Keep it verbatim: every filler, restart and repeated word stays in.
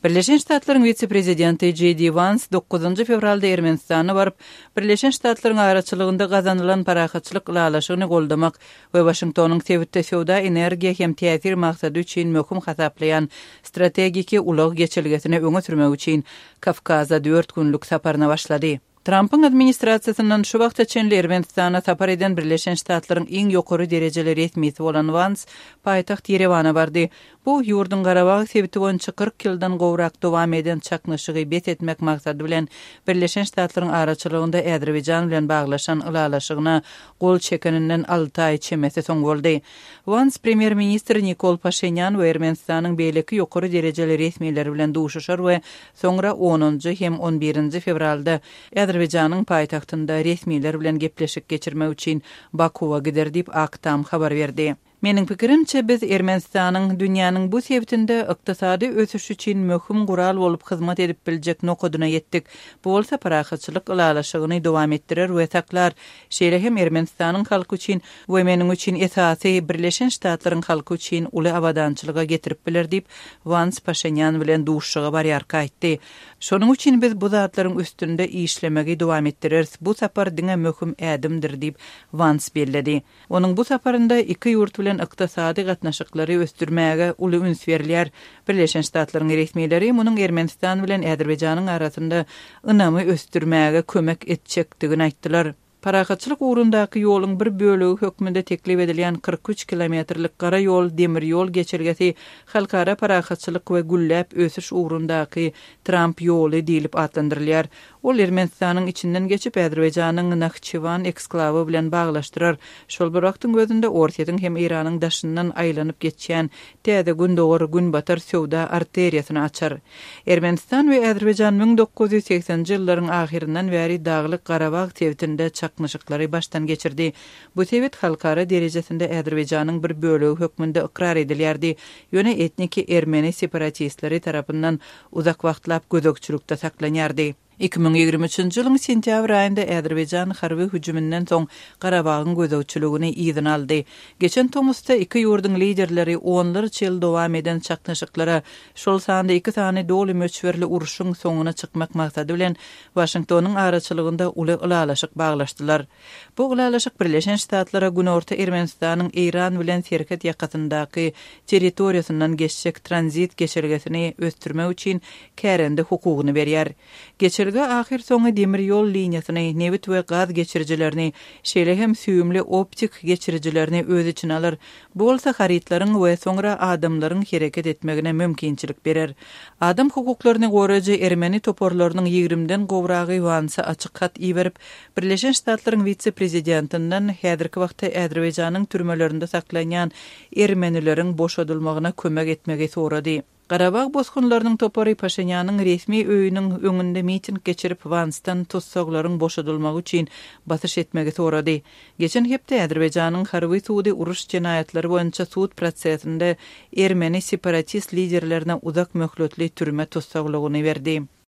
Birleşen Ştatlaryň wise-prezidenti J D Vance dokuzynjy fewralda Ermenistana baryp, Birleşen Ştatlaryň araçylygynda gazanylan parahatçylyk ylalaşygyny goldamak we Waşingtonyň sebitde söwda, energiýa hem täsir maksady üçin möhüm hasaplaýan strategiki ulag geçelgesini öňe sürmek üçin Kawkaza dört günlük saparyna başlady. Trumpyň administrasiýasyndan şu wagta çenli Ermenistana sapar eden Birleşen Ştatlaryň iň ýokary derejeli resmisi bolan Vance paýtagt Ýerewana bardy. Bu ýurduň Garabag sebiti boýunça kyrk ýyldan gowrak dowam eden çaknyşygy bes etmek maksady bilen Birleşen Ştatlaryň araçylygynda Azerbaýjan bilen baglaşan ylalaşygyna gol çekeninden alty aý çemesi soň boldy. Vance premýer-ministr Nikol Paşinyan we Ermenistanyň beýleki ýokary derejeli resmileri bilen duşuşar we soňra onunjy hem on birinji fewralda Azerbaýjanyň paýtagtynda resmiler bilen gepleşik geçirmek üçin Bakuwa gider diýip Ak Tam habar berdi. Meniň pikirimçe biz Ermenistanyň dünýäniň bu sebitinde ykdysady ösüş üçin möhüm gural bolup hyzmat edip biljek nokadyna ýetdik. Bu bolsa parahatçylyk ylalaşygyny dowam etdirer we saklar. Şeýle hem Ermenistanyň halky üçin we meniň üçin esasy Birleşen Ştatlaryň halky üçin uly abadançylyga getirip biler diýip Vance Paşinyan bilen duşuşyga barýarka aýtdy. Şonuň üçin biz bu zatlaryň üstünde işlemegi dowam etdireris. Bu sapar diňe möhüm ädimdir diýip Vance belledi. Onuň bu saparynda iki ýurt bilen ykdysady gatnaşyklary ösdürmäge uly üns berilýär. Birleşen Ştatlaryň resmileri munuň Ermenistan bilen Azerbaýjanyň arasynda ynamy ösdürmäge kömek etjekdigini aýtdylar. Parahatçylyk ugrundaky ýoluň bir bölegi hökmünde teklip edilýän kyrk üç kilometrlik gara ýol, demir ýol geçelgesi halkara parahatçylyk we gülläp ösüş ugrundaky Trump ýoly diýlip atlandyrylýar. Ol Ermenistanyň içinden geçip Azerbaýjanyň Nahçywan eksklawy bilen baglaşdyrar. Şol bir wagtyň özünde Orsýetiň hem Eýranyň daşyndan aýlanyp geçýän täze Gündogar Günbatar söwda arteriýasyny açar. Ermenistan we Azerbaýjan müň dokuz ýüz segsenji ýyllaryň ahyryndan bäri Daglyk Garabag sebitinde çaknyşyklary başdan geçirdi. Bu sebit halkara derejesinde Azerbaýjanyň bir bölegi hökmünde ykrar edilýärdi. Ýöne etniki ermeni separatistleri tarapyndan uzak wagtlap gözegçilikde saklanýardy. Iki müň ýigrimi üçünji ýylyň sentýabr aýynda Azerbaýjan harby hüjüminden soň Garabagyň gözegçiligini yzyna aldy. Geçen tomusda iki ýurduň liderleri onlarça ýyl dowam eden çaknyşyklara, şol sanda iki sany doly möçberli urşuň soňuna çykmak maksady bilen Waşingtonyň araçylygynda uly ylalaşyk baglaşdylar. Bu ylalaşyk Birleşen Ştatlara Günorta Ermenistanyň Eýran bilen serhet ýakasyndaky territoriýasyndan geçjek tranzit geçelgesini ösdürmek üçin kärende hukugyny berýär. Geçelge ahyr soňy demir ýol liniýasyny, nebit we gaz geçirijilerini, şeýle hem süýümli optik geçirijilerini öz içine alar. Bu bolsa harytlaryň we soňra adamlaryň hereket etmegine mümkinçilik berer. Adam hukuklaryny goraýjy ermeni toparlarynyň ýigrimden gowragy Wansa açyk hat iberip, Birleşen Ştatlaryň wise-prezidentinden häzirki wagtda Azerbaýjanyň türmelerinde saklanýan ermenileriň boşadylmagyna kömek etmegi sorady. Garabag bosgunlarynyň topary Paşinýanyň resmi öýüniň öňünde miting geçirip Wansdan tussaglaryň boşadylmagy üçin basyş etmegi sorady. Geçen hepde Azerbaýjanyň harby sudy uruş jenaýatlary boýunça sud prosesinde ermeni separatist liderlerine uzak möhletli türme tussaglygyny berdi.